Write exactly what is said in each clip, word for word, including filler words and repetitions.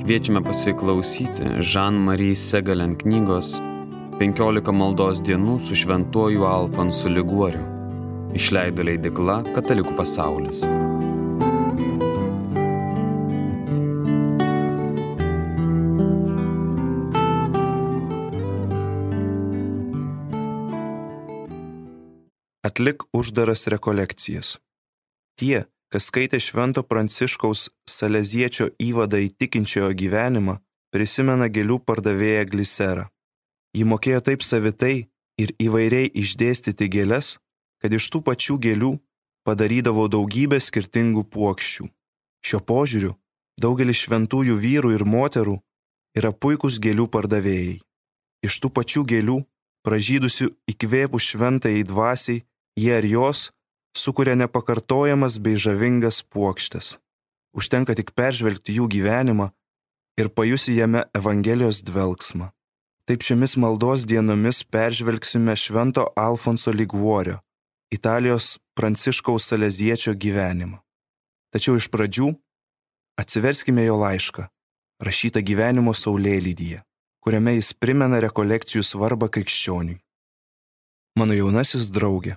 Kviečiame pasiklausyti Jean-Marie Segalen knygos penkiolika maldos dienų su šventuoju Alfonsu Liguoriu. Išleido leidykla Katalikų pasaulis. Atlik uždaras rekolekcijas. Tie, kas skaitė Švento Pranciškaus Saleziečio įvadą į tikinčiojo gyvenimą, prisimena gėlių pardavėją Gliserą. Ji mokėjo taip savitai ir įvairiai išdėstyti gėles, kad iš tų pačių gėlių padarydavo daugybę skirtingų puokščių. Šio požiūriu daugelis šventųjų vyrų ir moterų yra puikūs gėlių pardavėjai. Iš tų pačių gėlių, pražydusių įkvėpus šventajai dvasiai, jie ar jos sukuria nepakartojamas bei žavingas puokštes. Užtenka tik peržvelgti jų gyvenimą ir pajusi jame Evangelijos dvelksmą. Taip šiomis maldos dienomis peržvelgsime Švento Alfonso Liguorio, Italijos Pranciškaus Saleziečio gyvenimą. Tačiau iš pradžių atsiverskime jo laišką, rašytą gyvenimo saulėlydyje, kuriame jis primena rekolekcijų svarbą krikščioniui. Mano jaunasis draugė,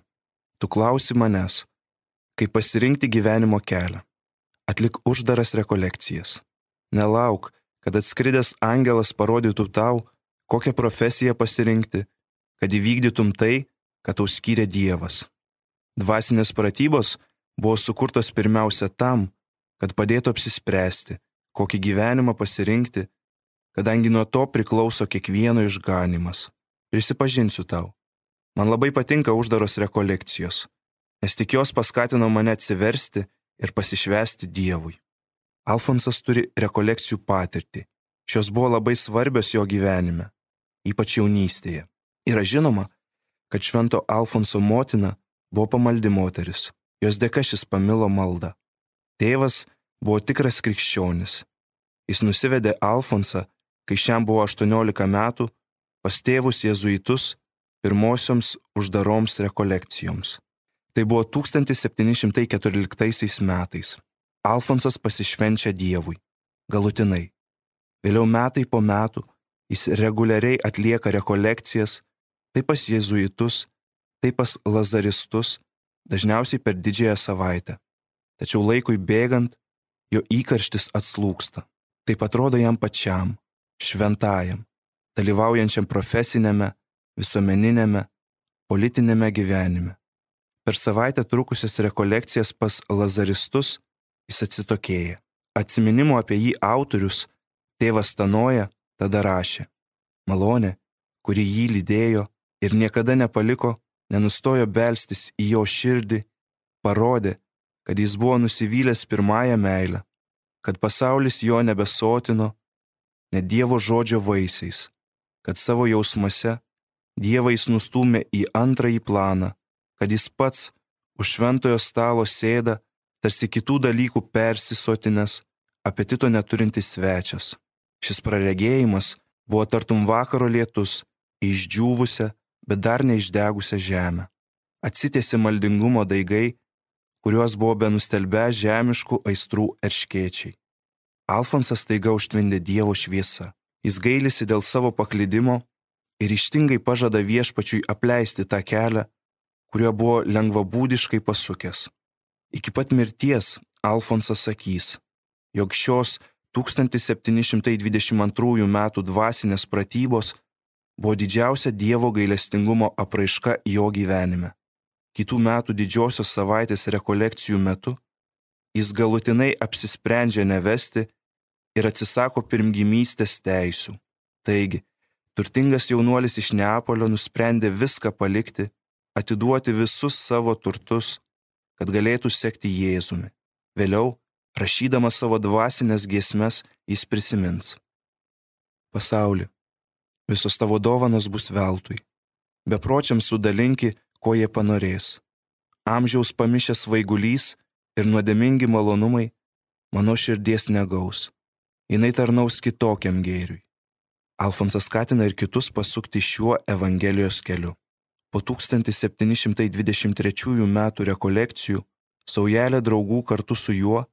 tu klausi manęs, kaip pasirinkti gyvenimo kelią. Atlik uždaras rekolekcijas. Nelauk, kad atskridęs angelas parodytų tau, kokią profesiją pasirinkti, kad įvykdytum tai, ką tau skyrė Dievas. Dvasinės pratybos buvo sukurtos pirmiausia tam, kad padėtų apsispręsti, kokį gyvenimą pasirinkti, kadangi nuo to priklauso kiekvieno išganymas. Prisipažinsiu tau, man labai patinka uždaros rekolekcijos, nes tik jos paskatino mane atsiversti ir pasišvęsti Dievui. Alfonsas turi rekolekcijų patirtį. Šios buvo labai svarbios jo gyvenime, ypač jaunystėje. Yra žinoma, kad Švento Alfonso motina buvo pamaldi moteris. Jos dėka šis pamilo maldą. Tėvas buvo tikras krikščionis. Jis nusivedė Alfonsą, kai šiam buvo aštuoniolika metų, pas tėvus jėzuitus pirmosioms uždaroms rekolekcijoms. Tai buvo tūkstantis septyni šimtai keturioliktaisiais metais. Alfonsas pasišvenčia Dievui. Galutinai. Vėliau metai po metų jis reguliariai atlieka rekolekcijas, tai pas jėzuitus, tai pas lazaristus, dažniausiai per didžiąją savaitę. Tačiau laikui bėgant, jo įkarštis atslūgsta. Taip atrodo jam pačiam, šventajam, dalyvaujančiam profesinėme, visuomeninėme, politinėme gyvenime. Per savaitę trukusias rekolekcijas pas lazaristus jis atsitokėja. Atsiminimo apie jį autorius, tėvas Stanoja, tada rašė: malonė, kuri jį lydėjo ir niekada nepaliko, nenustojo belstis į jo širdį, parodė, kad jis buvo nusivylęs pirmąją meilę, kad pasaulis jo nebesotino, net Dievo žodžio vaisiais, kad savo jausmuose Dievą jis nustūmė į antrąjį planą, kad jis pats už šventojo stalo sėda, tarsi kitų dalykų persisotinęs, apetito neturintis svečias. Šis praregėjimas buvo tartum vakaro lietus į išdžiūvusią, bet dar neišdegusią žemę. Atsitiesė maldingumo daigai, kuriuos buvo benustelbę žemiškų aistrų erškėčiai. Alfonsas staiga užtvindė Dievo šviesa. Jis gailisi dėl savo paklydimo ir ryžtingai pažada viešpačiui apleisti tą kelią, kuriuo buvo lengvabūdiškai pasukęs. Iki pat mirties Alfonsas sakys, jog šios tūkstantis septyni šimtai dvidešimt antrųjų metų dvasinės pratybos buvo didžiausia Dievo gailestingumo apraiška jo gyvenime. Kitų metų didžiosios savaitės rekolekcijų metu jis galutinai apsisprendžia nevesti ir atsisako pirmgimystės teisių. Taigi, turtingas jaunuolis iš Neapolio nusprendė viską palikti, atiduoti visus savo turtus, kad galėtų sekti Jėzumi. Vėliau, rašydamas savo dvasinės giesmes, jis prisimins: pasauli, visos tavo dovanos bus veltui. Bepročiams sudalinki, ko jie panorės. Amžiaus pamišęs svaigulys ir nuodėmingi malonumai mano širdies negaus. Jinai tarnaus kitokiam gėriui. Alfonsas skatina ir kitus pasukti šiuo Evangelijos keliu. Po tūkstantis septyni šimtai dvidešimt trečiųjų metų rekolekcijų saujelė draugų kartu su juo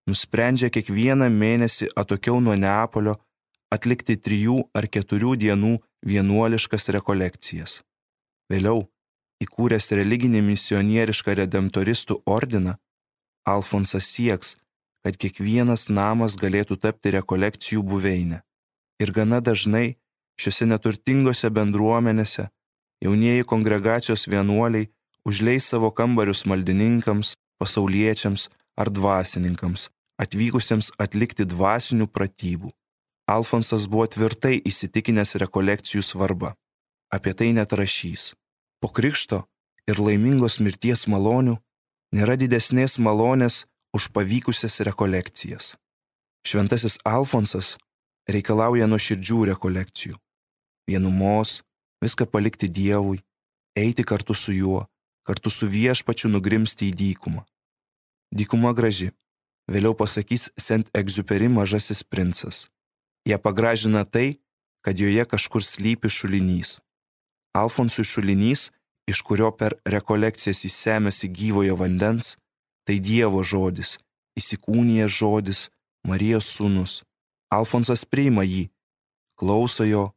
nusprendžia kiekvieną mėnesį atokiau nuo Neapolio atlikti trijų ar keturių dienų vienuoliškas rekolekcijas. Vėliau, įkūręs religinį misionierišką redemptoristų ordiną, Alfonsas sieks, kad kiekvienas namas galėtų tapti rekolekcijų buveinę. Ir gana dažnai šiuose neturtingose bendruomenėse jaunieji kongregacijos vienuoliai užleis savo kambarius maldininkams, pasauliečiams ar dvasininkams, atvykusiems atlikti dvasinių pratybų. Alfonsas buvo tvirtai įsitikinęs rekolekcijų svarba. Apie tai net rašys. Po krikšto ir laimingos mirties malonių nėra didesnės malonės už pavykusias rekolekcijas. Šventasis Alfonsas reikalauja nuoširdžių rekolekcijų. Vienumos, viską palikti Dievui, eiti kartu su juo, kartu su viešpačiu nugrimsti į dykumą. Dykuma graži, vėliau pasakys Saint-Exupéry Mažasis princas. Ją pagražina tai, kad joje kažkur slypi šulinys. Alfonsui šulinys, iš kurio per rekolekcijas jis semiasi gyvojo vandens, tai Dievo žodis, įsikūnijęs žodis, Marijos sūnus. Alfonsas priima jį, klauso jo,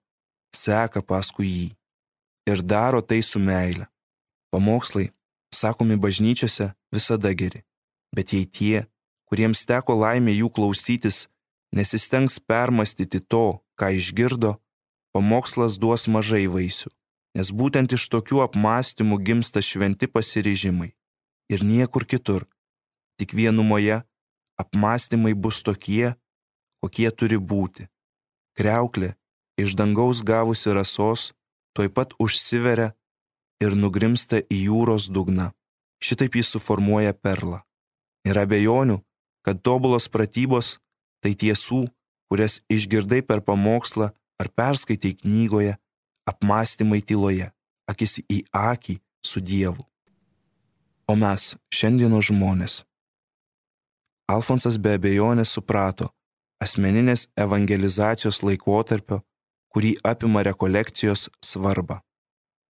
seka paskui jį ir daro tai su meile. Pamokslai, sakomi bažnyčiose, visada geri, bet jei tie, kuriems teko laimė jų klausytis, nesistengs permastyti to, ką išgirdo, pamokslas duos mažai vaisių, nes būtent iš tokių apmąstymų gimsta šventi pasiryžimai. Ir niekur kitur, tik vienumoje, apmąstymai bus tokie, kokie turi būti. Kriauklė, iš dangaus gavusi rasos, tuoj pat užsiveria ir nugrimsta į jūros dugną. Šitaip jis suformuoja perlą. Nėra abejonių, kad tobulos pratybos tai tiesų, kurias išgirdai per pamokslą ar perskaitai knygoje, apmąstymai tyloje, akis į akį su Dievu. O mes, šiandienos žmonės. Alfonsas be abejonės suprato asmeninės evangelizacijos laikotarpio, kurį apima rekolekcijos svarbą.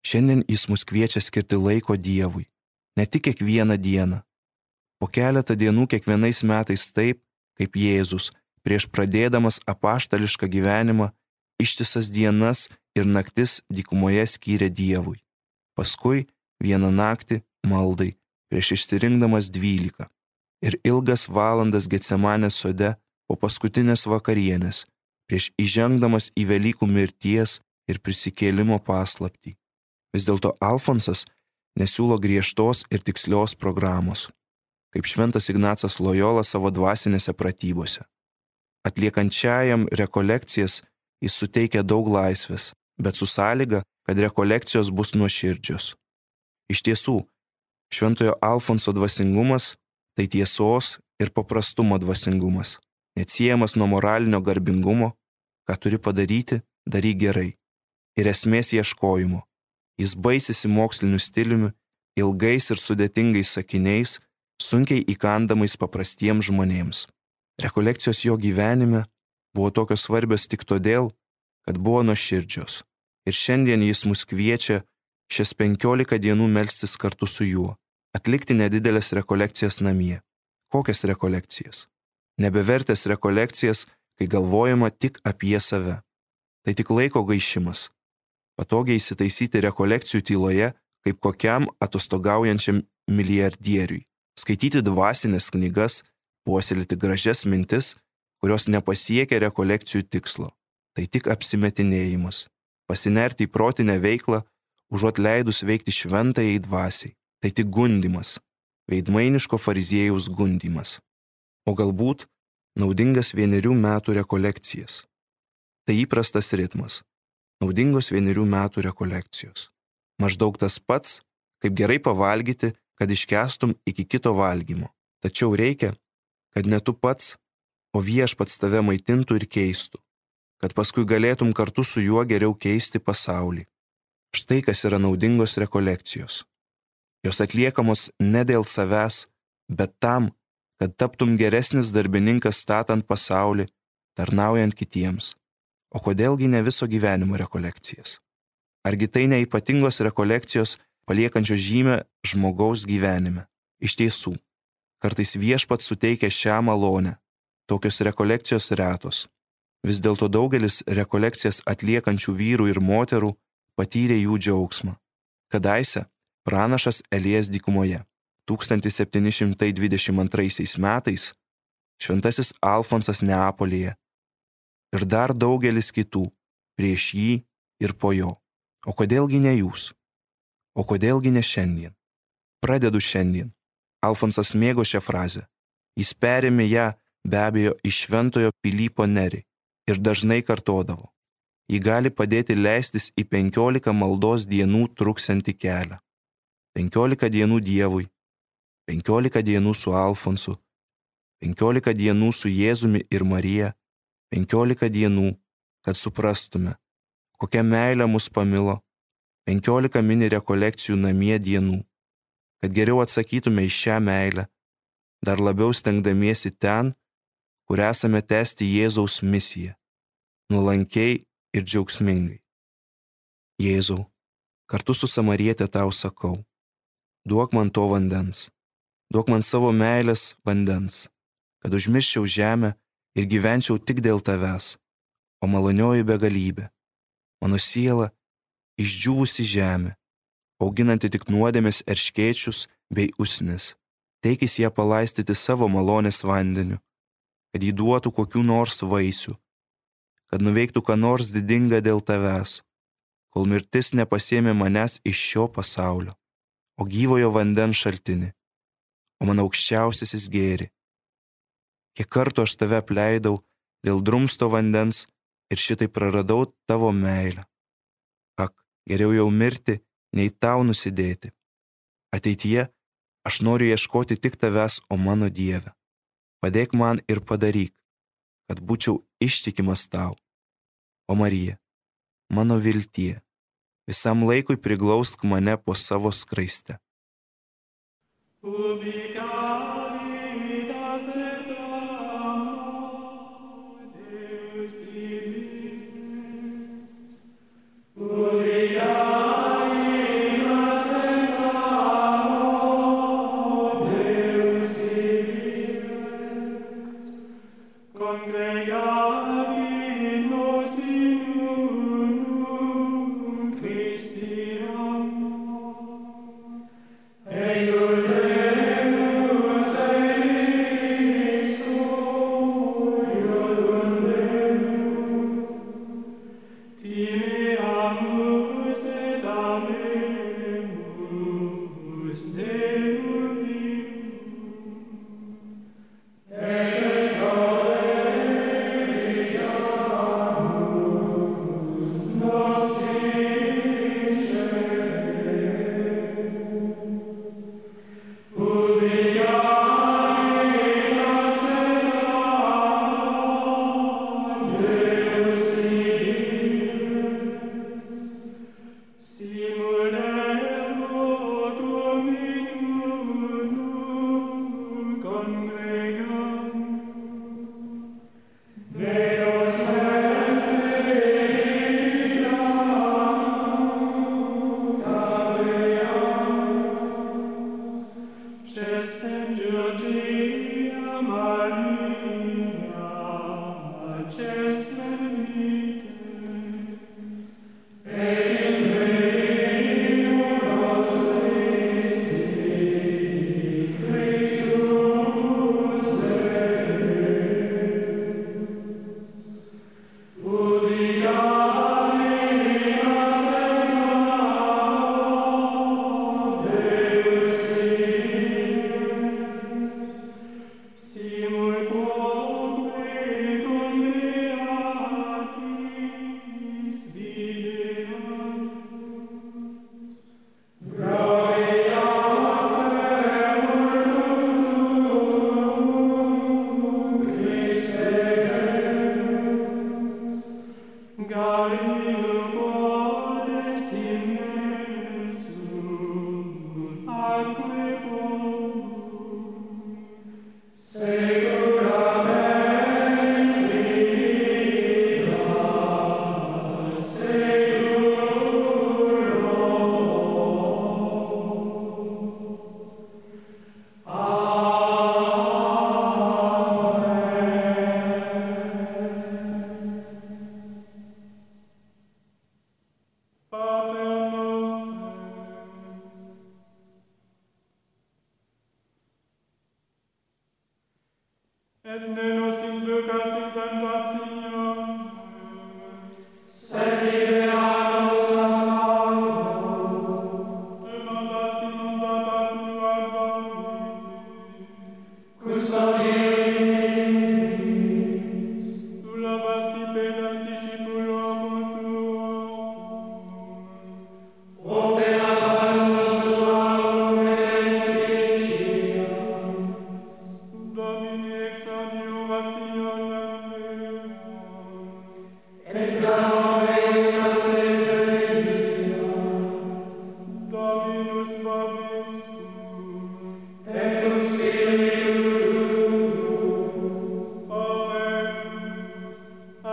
Šiandien jis mus kviečia skirti laiko Dievui, ne tik kiekvieną dieną. Po keletą dienų kiekvienais metais taip, kaip Jėzus, prieš pradėdamas apaštališką gyvenimą, ištisas dienas ir naktis dykumoje skyrė Dievui. Paskui vieną naktį maldai, prieš išsirinkdamas dvylika. Ir ilgas valandas Getsemanės sode po paskutinės vakarienės, prieš įžengdamas į Velykų mirties ir prisikėlimo paslaptį. Vis dėlto Alfonsas nesiūlo griežtos ir tikslios programos, kaip šventas Ignacas Lojola savo dvasinėse pratybose. Atliekančiajam rekolekcijas jis suteikia daug laisvės, bet su sąlyga, kad rekolekcijos bus nuoširdžios. Iš tiesų, šventojo Alfonso dvasingumas tai tiesos ir paprastumo dvasingumas, neatsiejamas nuo moralinio garbingumo, ką turi padaryti, daryk gerai, ir esmės ieškojimo. Jis baisisi moksliniu stiliumi, ilgais ir sudėtingais sakiniais, sunkiai įkandamais paprastiems žmonėms. Rekolekcijos jo gyvenime buvo tokios svarbios tik todėl, kad buvo nuoširdžios. Ir šiandien jis mus kviečia šias penkiolika dienų melstis kartu su juo, atlikti nedidelės rekolekcijas namie. Kokias rekolekcijas? Nebevertės rekolekcijas, kai galvojama tik apie save. Tai tik laiko gaišimas. Patogiai įsitaisyti rekolekcijų tyloje, kaip kokiam atostogaujančiam milijardieriui. Skaityti dvasinės knygas, puoselėti gražias mintis, kurios nepasiekia rekolekcijų tikslo. Tai tik apsimetinėjimas. Pasinerti į protinę veiklą, užuot leidus veikti šventajai dvasiai. Tai tik gundymas. Veidmainiško fariziejaus gundymas. O galbūt naudingas vienerių metų rekolekcijas. Tai įprastas ritmas. Naudingos vienerių metų rekolekcijos. Maždaug tas pats, kaip gerai pavalgyti, kad iškęstum iki kito valgymo. Tačiau reikia, kad ne tu pats, o viešpats tave maitintų ir keistų, kad paskui galėtum kartu su juo geriau keisti pasaulį. Štai kas yra naudingos rekolekcijos. Jos atliekamos ne dėl savęs, bet tam, kad taptum geresnis darbininkas statant pasaulį, tarnaujant kitiems. O kodėlgi ne viso gyvenimo rekolekcijas? Argi tai ne ypatingos rekolekcijos paliekančios žymę žmogaus gyvenime? Iš tiesų, kartais viešpats suteikia šią malonę, tokios rekolekcijos retos. Vis dėlto daugelis rekolekcijas atliekančių vyrų ir moterų patyrė jų džiaugsmą. Kadaise pranašas Elijas dykumoje tūkstantis septyni šimtai dvidešimt antraisiais metais, šventasis Alfonsas Neapolyje ir dar daugelis kitų prieš jį ir po jo. O kodėlgi ne jūs? O kodėlgi ne šiandien? Pradedu šiandien. Alfonsas mėgo šią frazę. Jis perėmė ją be abejo iš šventojo Pilypo Neri ir dažnai kartodavo. Ji gali padėti leistis į penkiolika maldos dienų truksiantį kelią. Penkiolika dienų Dievui, penkiolika dienų su Alfonsu, penkiolika dienų su Jėzumi ir Marija, penkiolika dienų, kad suprastume, kokia meilė mus pamilo, penkiolika mini rekolekcijų namie dienų, kad geriau atsakytume į šią meilę, dar labiau stengdamiesi ten, kur esame tęsti Jėzaus misiją, nuolankiai ir džiaugsmingai. Jėzau, kartu su Samariete tau sakau, duok man to vandens, duok man savo meilės vandens, kad užmirščiau žemę ir gyvenčiau tik dėl tavęs, o malonioji begalybė, mano siela išdžiūvusi žemė, auginanti tik nuodėmės erškėčius bei usnis, teikis ją palaistyti savo malonės vandeniu, kad jį duotų kokių nors vaisių, kad nuveiktų ką nors didinga dėl tavęs, kol mirtis nepasiėmė manęs iš šio pasaulio, o gyvojo vandens šaltinį, o mano aukščiausiasis gėri. Kiek kartų aš tave apleidau dėl drumsto vandens ir šitai praradau tavo meilę. Ak, geriau jau mirti, nei tau nusidėti. Ateityje aš noriu ieškoti tik tavęs, o mano Dieve. Padėk man ir padaryk, kad būčiau ištikimas tau. O Marija, mano viltie, visam laikui priglausk mane po savo skraiste. Dominus vobiscum. Et cum spiritu Oremus,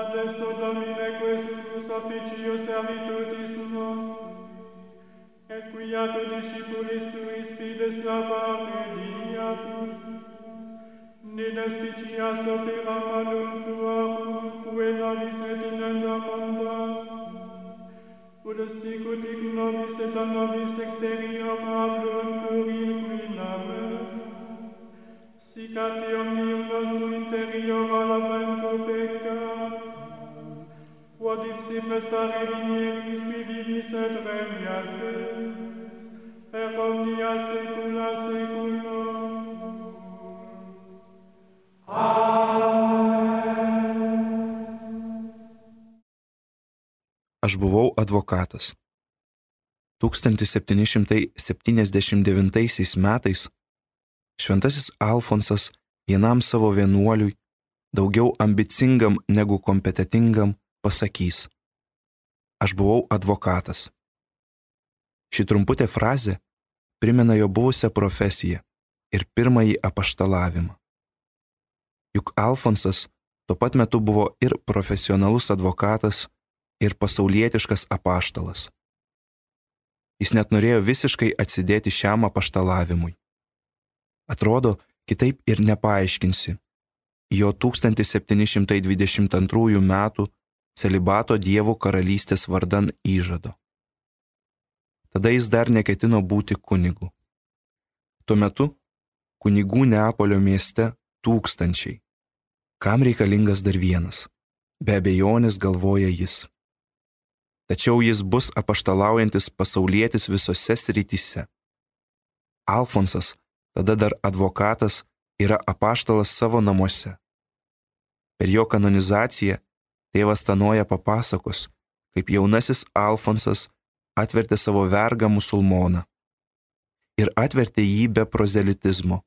adesto Domine questus officius servitutis nostri, et quia tu discipulis tuis fides labare dignatus, ne despicias opera malum tuarum, quae nobis retinendo amondas, ut sicut hic nobis et a nobis exterior hablum pluril nave, sic ante omnium nostrum interior alaventur peccatum, quod ipsi prestare vinieris vivis et regnias Deus, per omnia saecula saeculorum. Aš buvau advokatas. tūkstantis septyni šimtai septyniasdešimt devintaisiais metais šventasis Alfonsas vienam savo vienuoliui, daugiau ambicingam negu kompetentingam, pasakys: Aš buvau advokatas. Ši trumputė frazė primena jo buvusią profesiją ir pirmąjį apaštalavimą. Juk Alfonsas tuo pat metu buvo ir profesionalus advokatas, ir pasaulietiškas apaštalas. Jis net norėjo visiškai atsidėti šiam apaštalavimui. Atrodo, kitaip ir nepaaiškinsi jo tūkstantis septyni šimtai dvidešimt antrųjų metų celibato Dievo karalystės vardan įžado. Tada jis dar neketino būti kunigu. Tuo metu kunigų Neapolio mieste tūkstančiai. Kam reikalingas dar vienas? Be abejonės, galvoja jis. Tačiau jis bus apaštalaujantis pasaulietis visose srityse. Alfonsas, tada dar advokatas, yra apaštalas savo namuose. Per jo kanonizaciją tėvas Tanoja papasakos, kaip jaunasis Alfonsas atvertė savo vergą musulmoną. Ir atvertė jį be prozelitizmo,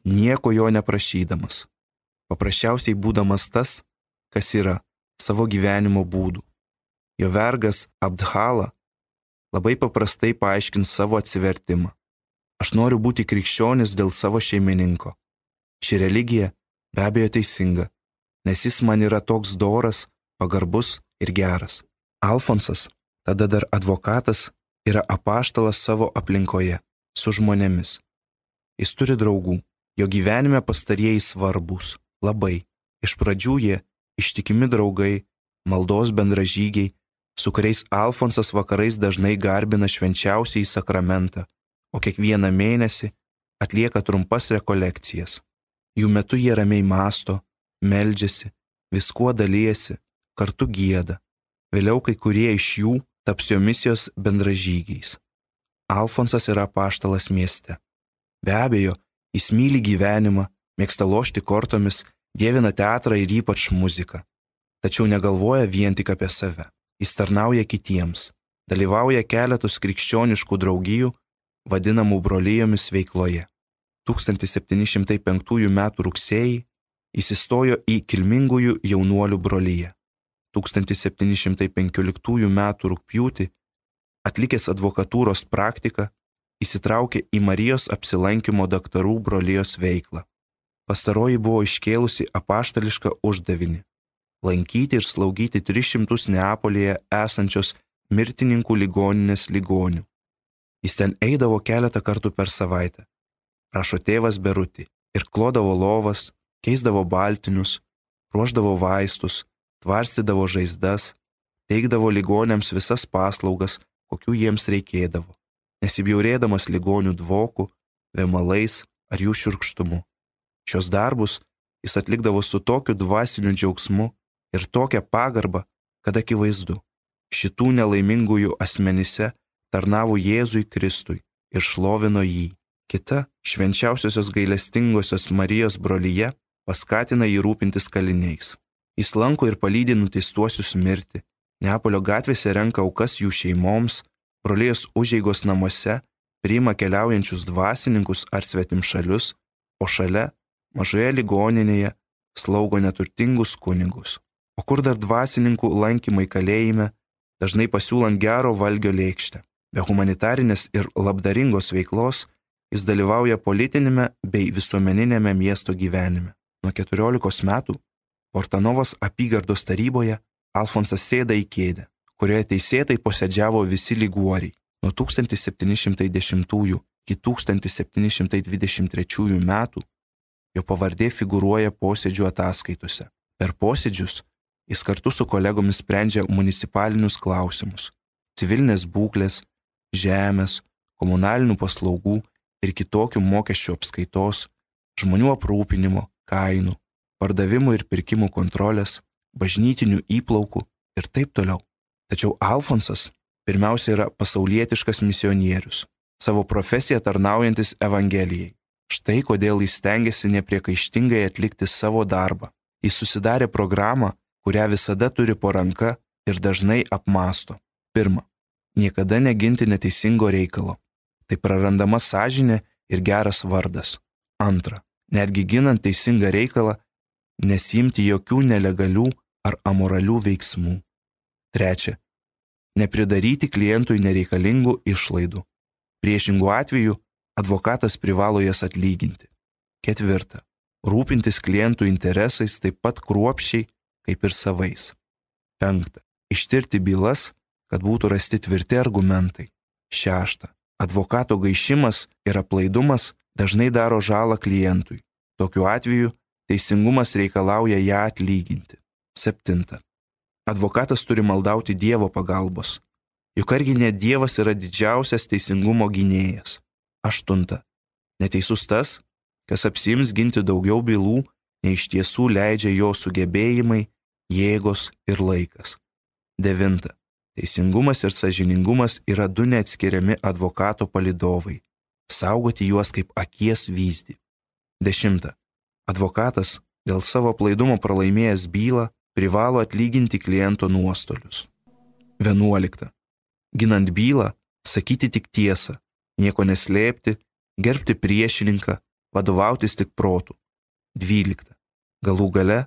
nieko jo neprašydamas, paprasčiausiai būdamas tas, kas yra, savo gyvenimo būdų. Jo vergas Abdhala labai paprastai paaiškins savo atsivertimą. Aš noriu būti krikščionis dėl savo šeimininko. Ši religija be abejo teisinga, nes jis man yra toks doras, pagarbus ir geras. Alfonsas, tada dar advokatas, yra apaštalas savo aplinkoje, su žmonėmis. Jis turi draugų, jo gyvenime pastarieji svarbūs, labai. Iš pradžių jie ištikimi draugai, maldos bendražygiai, su kuriais Alfonsas vakarais dažnai garbina švenčiausiąjį sakramentą, o kiekvieną mėnesį atlieka trumpas rekolekcijas. Jų metu jie ramiai mąsto, meldžiasi, viskuo dalijasi, kartu gieda. Vėliau kai kurie iš jų taps jo misijos bendražygiais. Alfonsas yra apaštalas mieste. Be abejo, jis myli gyvenimą, mėgsta lošti kortomis, dievina teatrą ir ypač muziką. Tačiau negalvoja vien tik apie save. Jis tarnauja kitiems, dalyvauja keletus krikščioniškų draugijų, vadinamų brolijomis veikloje. tūkstantis septyni šimtai penktųjų metų rugsėjį jis įstojo į kilmingųjų jaunuolių broliją. tūkstantis septyni šimtai penkioliktųjų metų rugpjūtį, atlikęs advokatūros praktiką, įsitraukė į Marijos apsilankymo daktarų brolijos veiklą. Pastaroji buvo iškėlusi apaštališką uždavinį – lankyti ir slaugyti tris šimtus Neapolyje esančios mirtininkų ligoninės ligonių. Jis ten eidavo keletą kartų per savaitę, rašo tėvas Beruti, ir klodavo lovas, keisdavo baltinius, ruošdavo vaistus, tvarstydavo žaizdas, teikdavo ligoniams visas paslaugas, kokių jiems reikėdavo, nesibjaurėdamas ligonių dvokų, vėmalais ar jų šiurkštumu. Šios darbus jis atlikdavo su tokiu dvasiniu džiaugsmu ir tokia pagarba, kad akivaizdu, šitų nelaimingųjų asmenyse tarnavo Jėzui Kristui ir šlovino jį. Kita švenčiausiosios gailestingosios Marijos brolija paskatina jį rūpintis kaliniais. Jis lanko ir palydi nuteistuosius mirti, Neapolio gatvėse renka aukas jų šeimoms, brolijos užeigos namuose priima keliaujančius dvasininkus ar svetimšalius, o šalia, mažoje ligoninėje, slaugo neturtingus kunigus. O kur dar dvasininkų lankymai kalėjime, dažnai pasiūlant gero valgio lėkštę. Be humanitarinės ir labdaringos veiklos jis dalyvauja politinėme bei visuomeninėme miesto gyvenime. Nuo keturiolikos metų Portanovos apygardos taryboje Alfonsas sėda į kėdę, kurioje teisėtai posėdžiavo visi liguoriai. Nuo tūkstantis septyni šimtai dešimtųjų iki tūkstantis septyni šimtai dvidešimt trečiųjų metų jo pavardė figūruoja posėdžių ataskaitose. Per posėdžius jis kartu su kolegomis sprendžia municipalinius klausimus – civilinės būklės, žemės, komunalinių paslaugų ir kitokių mokesčių apskaitos, žmonių aprūpinimo, kainų, pardavimų ir pirkimų kontrolės, bažnytinių įplaukų ir taip toliau. Tačiau Alfonsas pirmiausia yra pasaulietiškas misionierius, savo profesiją tarnaujantis Evangelijai. Štai kodėl jis stengiasi nepriekaištingai atlikti savo darbą. Jis susidarė programą, kurią visada turi po ranka ir dažnai apmąsto. Pirma, niekada neginti neteisingo reikalo. Tai prarandama sąžinė ir geras vardas. Antra, netgi ginant teisingą reikalą, nesiimti jokių nelegalių ar amoralių veiksmų. Trečia, nepridaryti klientui nereikalingų išlaidų. Priešingų atveju advokatas privalo jas atlyginti. Ketvirta, rūpintis klientų interesais taip pat kruopščiai kaip ir savais. Penkta, ištirti bylas, kad būtų rasti tvirti argumentai. Šešta, advokato gaišimas ir aplaidumas dažnai daro žalą klientui. Tokiu atveju teisingumas reikalauja ją atlyginti. Septinta, advokatas turi maldauti Dievo pagalbos. Juk argi ne Dievas yra didžiausias teisingumo gynėjas. Aštunta, neteisus tas, kas apsiims ginti daugiau bylų, nei iš tiesų leidžia jo sugebėjimai, jėgos ir laikas. Devinta, teisingumas ir sąžiningumas yra du neatskiriami advokato palydovai. Saugoti juos kaip akies vyzdį. Dešimta, advokatas dėl savo aplaidumo pralaimėjęs bylą privalo atlyginti kliento nuostolius. Vienuolikta, ginant bylą, sakyti tik tiesą, nieko neslėpti, gerbti priešininką, vadovautis tik protu. Dvylikta, galų gale,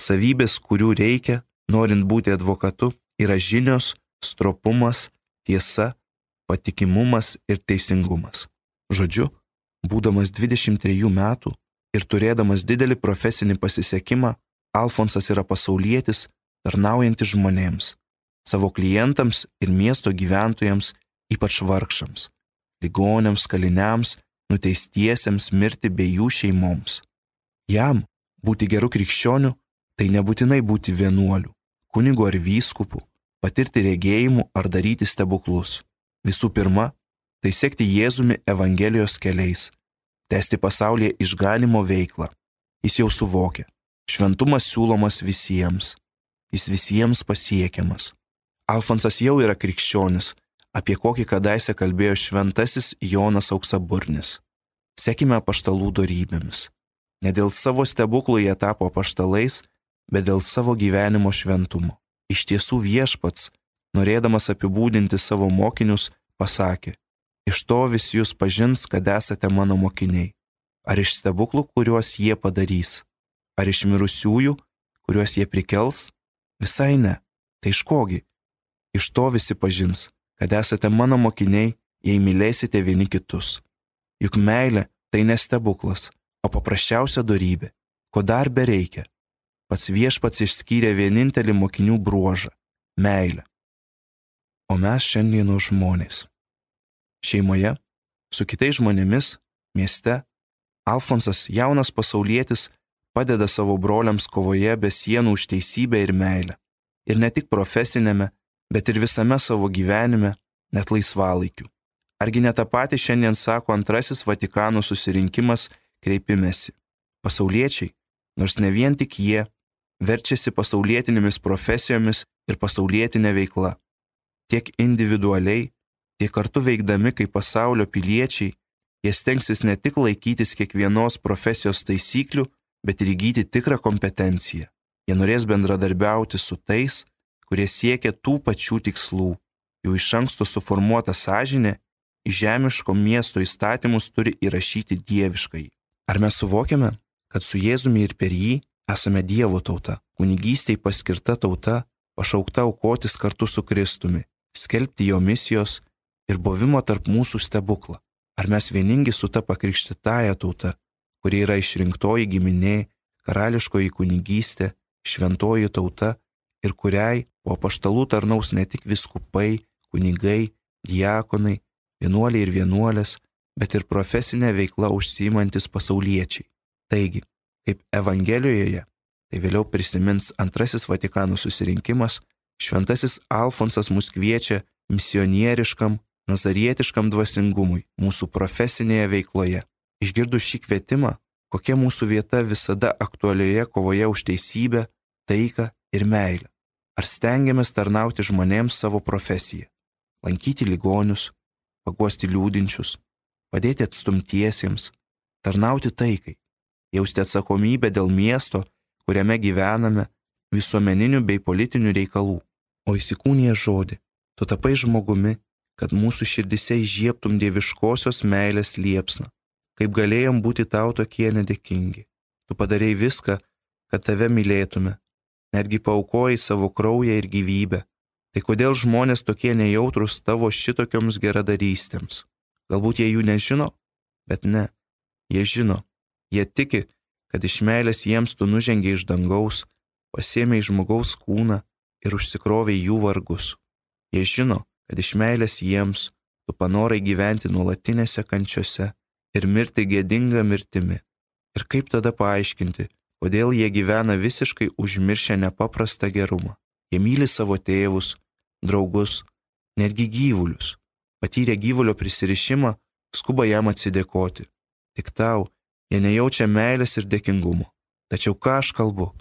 savybės, kurių reikia, norint būti advokatu, yra žinios, stropumas, tiesa, patikimumas ir teisingumas. Žodžiu, būdamas dvidešimt trejų metų ir turėdamas didelį profesinį pasisekimą, Alfonsas yra pasaulietis, tarnaujantis žmonėms, savo klientams ir miesto gyventojams, ypač vargšams, ligoniams, kaliniams, nuteistiesiems mirti bei jų šeimoms. Jam būti geru krikščioniu tai nebūtinai būti vienuoliu, kunigu ar vyskupu, patirti regėjimų ar daryti stebuklus. Visų pirma, tai sekti Jėzumi Evangelijos keliais, tęsti pasaulyje išganymo veiklą. Jis jau suvokia, šventumas siūlomas visiems, jis visiems pasiekiamas. Alfonsas jau yra krikščionis, apie kokį kadaise kalbėjo šventasis Jonas Auksaburnis. Sekime apaštalų dorybėmis. Ne dėl savo stebuklų jie tapo apaštalais, bet dėl savo gyvenimo šventumo. Iš tiesų Viešpats, norėdamas apibūdinti savo mokinius, pasakė: iš to visi jūs pažins, kad esate mano mokiniai. Ar iš stebuklų, kuriuos jie padarys? Ar iš mirusiųjų, kuriuos jie prikels? Visai ne. Tai iš kogi? Iš to visi pažins, kad esate mano mokiniai, jei mylėsite vieni kitus. Juk meilė tai ne stebuklas, o paprasčiausia dorybė. Ko dar bereikia? Pats Viešpats išskyrė vienintelį mokinių bruožą – meilę. O mes šiandieno žmonės. Šeimoje, su kitais žmonėmis, mieste, Alfonsas, jaunas pasaulietis, padeda savo broliams kovoje be sienų už teisybę ir meilę. Ir ne tik profesinėme, bet ir visame savo gyvenime, net laisvalaikiu. Argi ne tą patį šiandien sako antrasis Vatikano susirinkimas kreipimesi. Pasauliečiai, nors ne vien tik jie, verčiasi pasaulietinėmis profesijomis ir pasaulietinė veikla. Tiek individualiai, tiek kartu veikdami kaip pasaulio piliečiai, jie stengsis ne tik laikytis kiekvienos profesijos taisyklių, bet ir įgyti tikrą kompetenciją. Jie norės bendradarbiauti su tais, kurie siekia tų pačių tikslų. Jų iš anksto suformuota sąžinė į žemiško miesto įstatymus turi įrašyti dieviškai. Ar mes suvokiame, kad su Jėzumi ir per jį esame Dievo tauta, kunigystei paskirta tauta, pašaukta aukotis kartu su Kristumi, skelbti jo misijos ir buvimo tarp mūsų stebuklą. Ar mes vieningi su ta pakrikštytąja tauta, kuri yra išrinktoji giminė, karališkoji kunigystė, šventoji tauta ir kuriai po apaštalų tarnaus ne tik vyskupai, kunigai, diakonai, vienuoliai ir vienuolės, bet ir profesinė veikla užsiimantis pasauliečiai. Taigi, kaip Evangelijoje, tai vėliau prisimins antrasis Vatikano susirinkimas, šventasis Alfonsas mus kviečia misionieriškam, nazarietiškam dvasingumui mūsų profesinėje veikloje. Išgirdus šį kvietimą, kokia mūsų vieta visada aktualioje kovoje už teisybę, taiką ir meilę. Ar stengiamės tarnauti žmonėms savo profesiją, lankyti ligonius, paguosti liūdinčius, padėti atstumtiesiems, tarnauti taikai, jausti atsakomybę dėl miesto, kuriame gyvename, visuomeninių bei politinių reikalų. O įsikūnija žodį, tu tapai žmogumi, kad mūsų širdise įžiebtum dieviškosios meilės liepsną. Kaip galėjom būti tau tokie nedėkingi. Tu padarei viską, kad tave mylėtume, netgi paaukojai savo kraują ir gyvybę. Tai kodėl žmonės tokie nejautrus tavo šitokioms geradarystėms? Galbūt jie jų nežino, bet ne, jie žino. Jie tiki, kad iš meilės jiems tu nužengiai iš dangaus, pasiėmei žmogaus kūną ir užsikrovei jų vargus. Jie žino, kad iš meilės jiems tu panorai gyventi nuolatinėse kančiose ir mirti gėdinga mirtimi. Ir kaip tada paaiškinti, kodėl jie gyvena visiškai užmiršę nepaprastą gerumą? Jie myli savo tėvus, draugus, netgi gyvulius. Patyrę gyvulio prisirišimą, skuba jam atsidėkoti. Tik tau jie nejaučia meilės ir dėkingumo. Tačiau ką aš kalbu?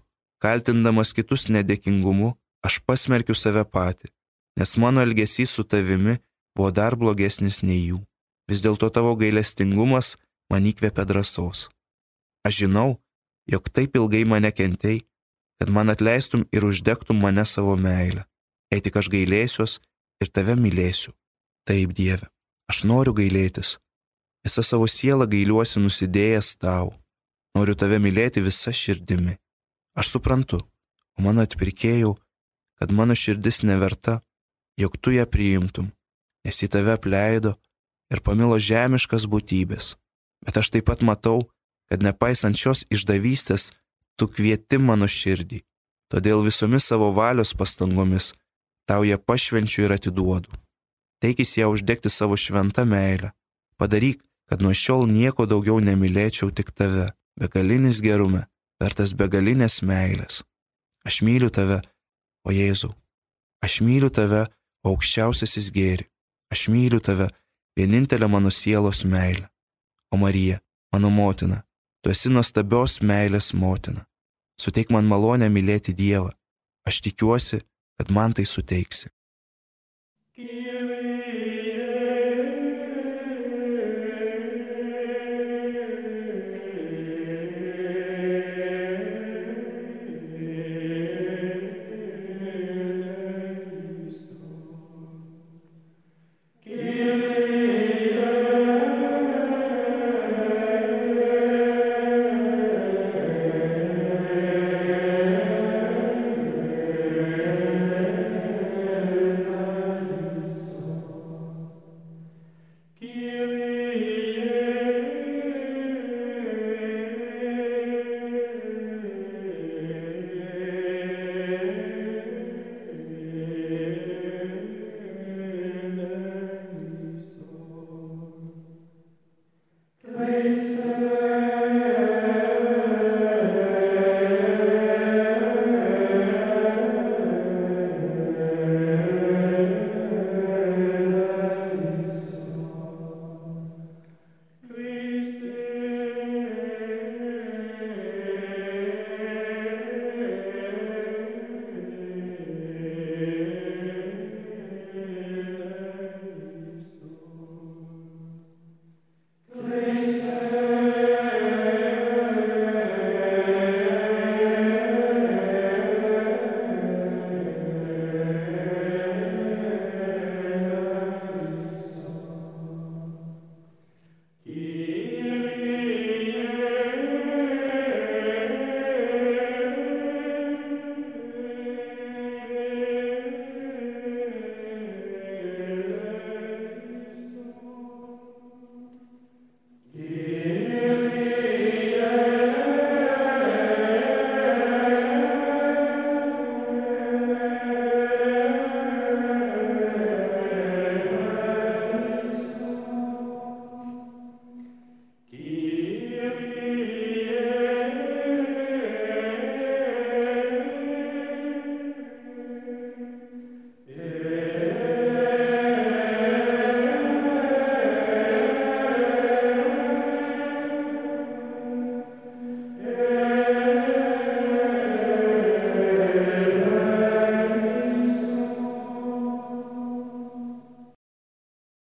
Kaltindamas kitus nedėkingumu, aš pasmerkiu save patį, nes mano elgesys su tavimi buvo dar blogesnis nei jų. Vis dėlto tavo gailestingumas man įkvėpė drąsos. Aš žinau, jog taip ilgai mane kentei, kad man atleistum ir uždegtum mane savo meilę. Jei tik aš gailėsiuos ir tave mylėsiu. Taip, Dieve, aš noriu gailėtis. Visą savo sielą gailiuosi nusidėjęs tau. Noriu tave mylėti visa širdimi. Aš suprantu, o mano atpirkėjau, kad mano širdis neverta, jog tu ją priimtum, nes į tave apleido ir pamilo žemiškas būtybės. Bet aš taip pat matau, kad nepaisant šios išdavystės, tu kvieti mano širdį. Todėl visomis savo valios pastangomis tau ją pašvenčiu ir atiduodu. Teikis ją uždegti savo šventą meilę. Padaryk, kad nuo šiol nieko daugiau nemylėčiau tik tave, begalinis gerume, vertas begalinės meilės. Aš myliu tave, o Jėzau. Aš myliu tave, o aukščiausiasis gėri. Aš myliu tave, vienintelė mano sielos meilė. O Marija, mano motina, tu esi nuostabios meilės motina. Suteik man malonę mylėti Dievą. Aš tikiuosi, kad man tai suteiksi.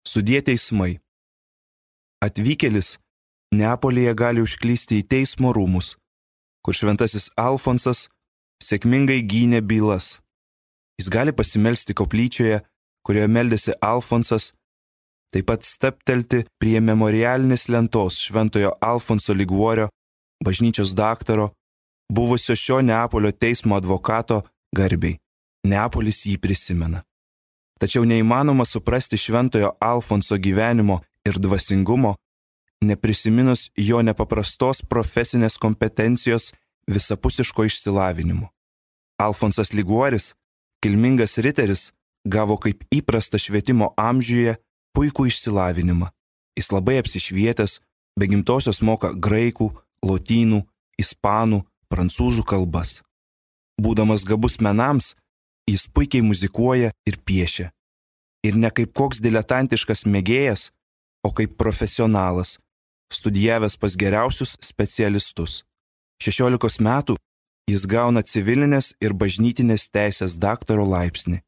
Sudie teismai. Atvykėlis Neapolyje gali užklysti į teismo rūmus, kur šventasis Alfonsas sėkmingai gynė bylas. Jis gali pasimelsti koplyčioje, kurioje meldėsi Alfonsas, taip pat staptelti prie memorialinės lentos šventojo Alfonso Liguorio, bažnyčios daktaro, buvusio šio Neapolio teismo advokato garbei. Neapolis jį prisimena. Tačiau neįmanoma suprasti šventojo Alfonso gyvenimo ir dvasingumo, neprisiminus jo nepaprastos profesinės kompetencijos visapusiško išsilavinimo. Alfonsas Liguoris, kilmingas riteris, gavo kaip įprasta švietimo amžiuje puikų išsilavinimą. Jis labai apsišvietęs, be gimtosios moka graikų, lotynų, ispanų, prancūzų kalbas. Būdamas gabus menams, jis puikiai muzikuoja ir piešia. Ir ne kaip koks diletantiškas mėgėjas, o kaip profesionalas, studijavęs pas geriausius specialistus. šešiolikos metų jis gauna civilinės ir bažnytinės teisės daktaro laipsnį.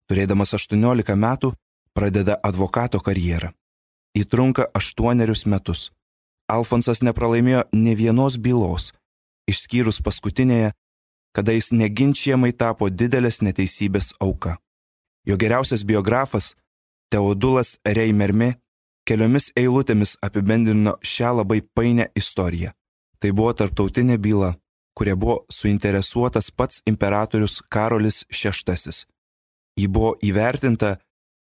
Turėdamas aštuoniolika metų pradeda advokato karjerą. Ji trunka aštuonerius metus. Alfonsas nepralaimėjo nė vienos bylos, išskyrus paskutinėje, kada jis neginčiamai tapo didelės neteisybės auka. Jo geriausias biografas, Teodulas Reimermi, keliomis eilutėmis apibendrino šią labai painę istoriją. Tai buvo tarptautinė byla, kuria buvo suinteresuotas pats imperatorius Karolis šeštasis. Ji buvo įvertinta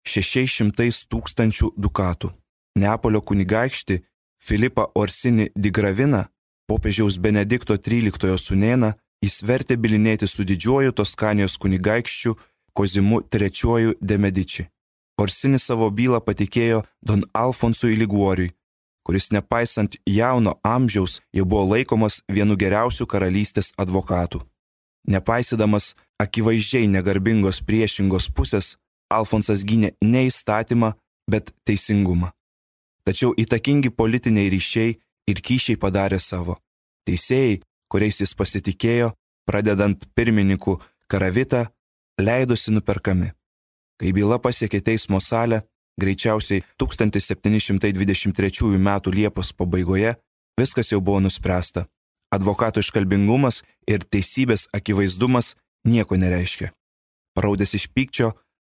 šešiais šimtais tūkstančių dukatų. Neapolio kunigaikštį Filipą Orsini di Gravina, popiežiaus Benedikto tryliktojo sūnėną, jis vertė bylinėti su didžiuoju Toskanijos kunigaikščiu Kozimu trečiuoju de Medici. Orsini savo bylą patikėjo Don Alfonsui Liguoriui, kuris nepaisant jauno amžiaus jau buvo laikomas vienu geriausių karalystės advokatų. Nepaisydamas akivaizdžiai negarbingos priešingos pusės, Alfonsas gynė ne įstatymą, bet teisingumą. Tačiau įtakingi politiniai ryšiai ir kyšiai padarė savo. Teisėjai, kuriais jis pasitikėjo, pradedant pirmininku Karavita, leidosi nuperkami. Kai byla pasiekė teismo salę, greičiausiai tūkstantis septyni šimtai dvidešimt trečiųjų metų Liepos pabaigoje, viskas jau buvo nuspręsta. Advokato iškalbingumas ir teisybės akivaizdumas nieko nereiškia. Paraudęs iš pykčio,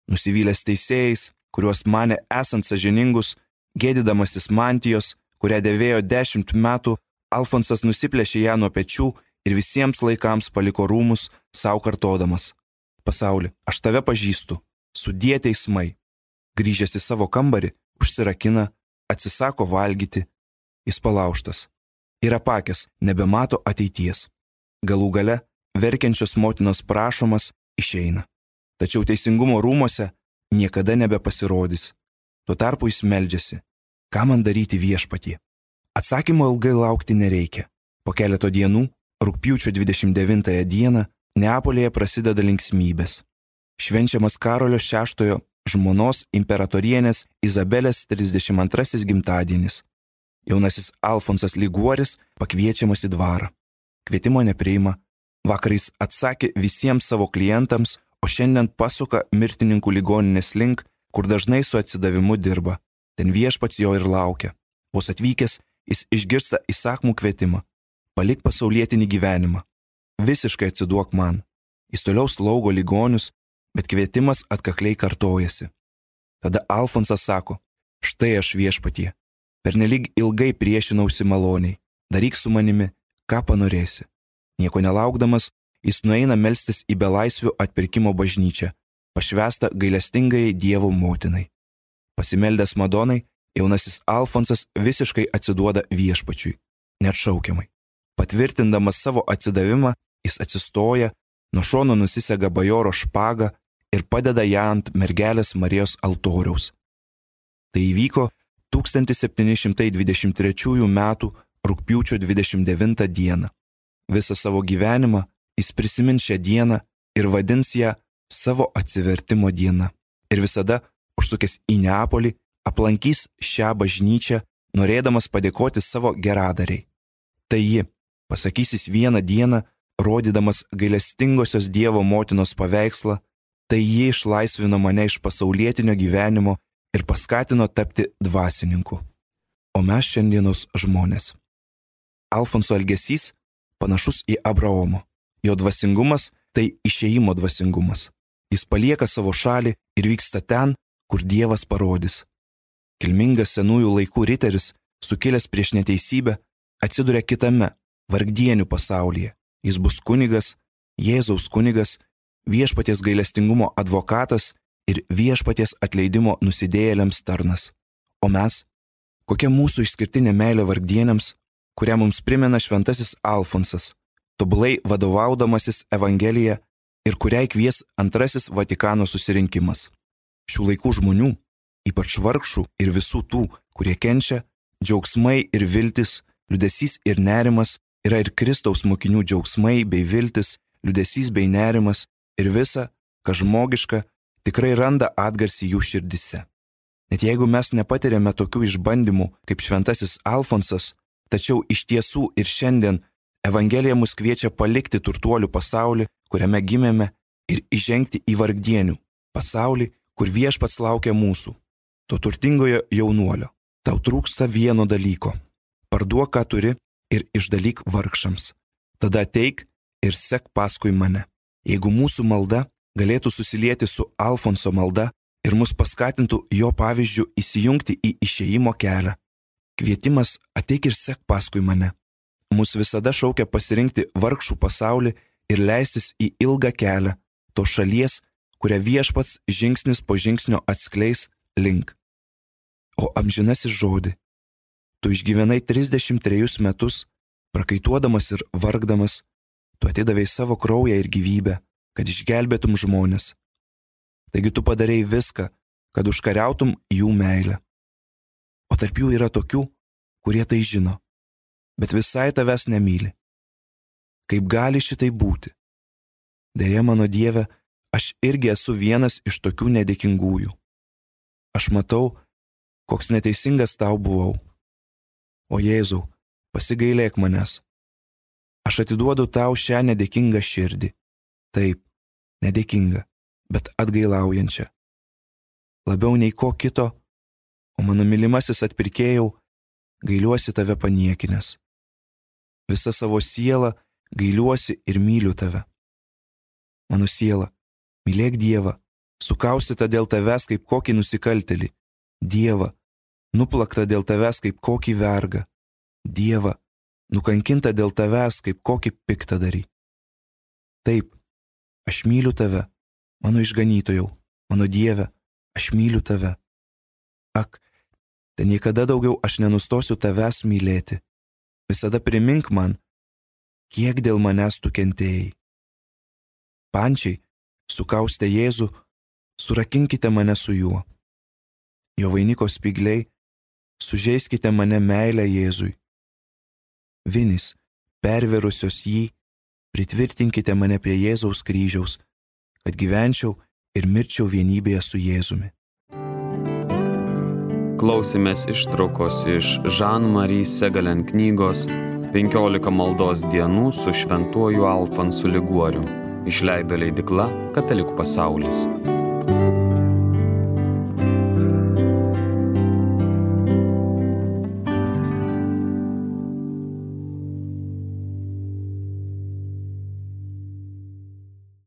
nusivylęs teisėjais, kuriuos manė esant sąžiningus, gėdydamasis mantijos, kurią dėvėjo dešimt metų, Alfonsas nusiplėšė ją nuo pečių ir visiems laikams paliko rūmus, savo kartodamas: Pasauli, aš tave pažįstu, sudie teismai. Grįžęs į savo kambarį, užsirakina, atsisako valgyti, jis palaužtas. Ir apakęs, nebemato ateities. Galų gale, verkiančios motinos prašomas, išeina. Tačiau teisingumo rūmose niekada nebepasirodys. Tuo tarpu jis meldžiasi: ką man daryti viešpatie? Atsakymo ilgai laukti nereikia. Po keleto dienų, rugpjūčio dvidešimt devintąją dieną, Neapolyje prasideda linksmybės. Švenčiamas Karolio šeštojo žmonos imperatorienės Izabelės trisdešimt antrasis gimtadienis. Jaunasis Alfonsas Liguoris pakviečiamas į dvarą. Kvietimo nepriima, vakarais atsakė visiems savo klientams, o šiandien pasuka mirtininkų ligoninės link, kur dažnai su atsidavimu dirba. Ten viešpats jo ir laukia. Vos atvykęs, jis išgirsta įsakmų kvietimą: palik pasaulietinį gyvenimą. Visiškai atsiduok man. Jis toliau slaugo ligonius, bet kvietimas atkakliai kartojasi. Tada Alfonsas sako: štai aš viešpatie, pernelyg ilgai priešinausi maloniai, daryk su manimi, ką panorėsi. Nieko nelaukdamas, jis nueina melstis į belaisvių atpirkimo bažnyčią, pašvęstą gailestingajai Dievo motinai. Pasimeldęs Madonai, jaunasis Alfonsas visiškai atsiduoda viešpačiui, neatšaukiamai. Patvirtindamas savo atsidavimą, jis atsistoja, nuo šono nusisega bajoro špagą ir padeda ją ant mergelės Marijos altoriaus. Tai įvyko tūkstantis septyni šimtai dvidešimt trečiųjų metų rugpjūčio dvidešimt devintą dieną. Visą savo gyvenimą jis prisimins šią dieną ir vadins ją savo atsivertimo diena. Ir visada, užsukęs į Neapolį, aplankys šią bažnyčią, norėdamas padėkoti savo geradariai. Tai ji, pasakysis vieną dieną, rodydamas gailestingosios Dievo motinos paveikslą, tai ji išlaisvino mane iš pasaulietinio gyvenimo ir paskatino tapti dvasininku. O mes šiandienos žmonės. Alfonso elgesys panašus į Abraomo. Jo dvasingumas tai išėjimo dvasingumas. Jis palieka savo šalį ir vyksta ten, kur Dievas parodys. Kilmingas senųjų laikų riteris, sukilęs prieš neteisybę, atsiduria kitame, vargdienių pasaulyje. Jis bus kunigas, Jėzaus kunigas, viešpaties gailestingumo advokatas ir viešpaties atleidimo nusidėjėliams tarnas. O mes, kokia mūsų išskirtinė meilė vargdieniams, kurią mums primena šventasis Alfonsas, tobulai vadovaudamasis Evangelija ir kuriai kvies antrasis Vatikano susirinkimas. Šių laikų žmonių, ypač vargšų ir visų tų, kurie kenčia, džiaugsmai ir viltis, liūdesys ir nerimas yra ir Kristaus mokinių džiaugsmai bei viltis, liūdesys bei nerimas ir visa, kas žmogiška, tikrai randa atgarsį jų širdise. Net jeigu mes nepatiriame tokių išbandymų kaip šventasis Alfonsas, tačiau iš tiesų ir šiandien Evangelija mus kviečia palikti turtuolių pasaulį, kuriame gimėme, ir įžengti į vargdienių pasaulį, kur viešpats laukia mūsų, to turtingojo jaunuolio. Tau trūksta vieno dalyko. Parduok, ką turi, ir išdalyk vargšams. Tada ateik ir sek paskui mane. Jeigu mūsų malda galėtų susilieti su Alfonso malda ir mus paskatintų jo pavyzdžių įsijungti į išėjimo kelią. Kvietimas ateik ir sek paskui mane. Mus visada šaukia pasirinkti vargšų pasaulį ir leistis į ilgą kelią, to šalies, kurią viešpats žingsnis po žingsnio atskleis link. O amžinasis žodį, tu išgyvenai trisdešimt trejus metus, prakaituodamas ir vargdamas, tu atidavei savo kraują ir gyvybę, kad išgelbėtum žmonės. Taigi tu padarei viską, kad užkariautum jų meilę. O tarp jų yra tokių, kurie tai žino, bet visai tavęs nemyli. Kaip gali šitai būti? Deja, mano Dieve, aš irgi esu vienas iš tokių nedėkingųjų. Aš matau, koks neteisingas tau buvau. O Jėzau, pasigailėk manęs. Aš atiduodu tau šią nedėkingą širdį. Taip, nedėkingą, bet atgailaujančią. Labiau nei ko kito, o mano mylimasis atpirkėjau, gailiuosi tave paniekinęs. Visa savo siela gailiuosi ir myliu tave. Mano siela, mylėk Dievą, sukaustyta dėl tavęs kaip kokį nusikaltėlį. Dievą, nuplakta dėl tavęs kaip kokį vergą. Dievą, nukankinta dėl tavęs kaip kokį piktadarį. Taip, aš myliu tave, mano išganytojau, mano Dieve, aš myliu tave. Ak, tai niekada daugiau aš nenustosiu tavęs mylėti. Visada primink man, kiek dėl manęs tu kentėjai. Pančiai, sukaustę Jėzų, surakinkite mane su juo. Jo vainiko spygliai, sužeiskite mane meilę Jėzui. Vinys, perverusios jį, pritvirtinkite mane prie Jėzaus kryžiaus, kad gyvenčiau ir mirčiau vienybėje su Jėzumi. Klausėmės ištraukos iš Jean-Marie Segalen knygos penkiolika maldos dienų su šventuoju Alfonsu Liguoriu. Išleido leidykla Katalikų pasaulis.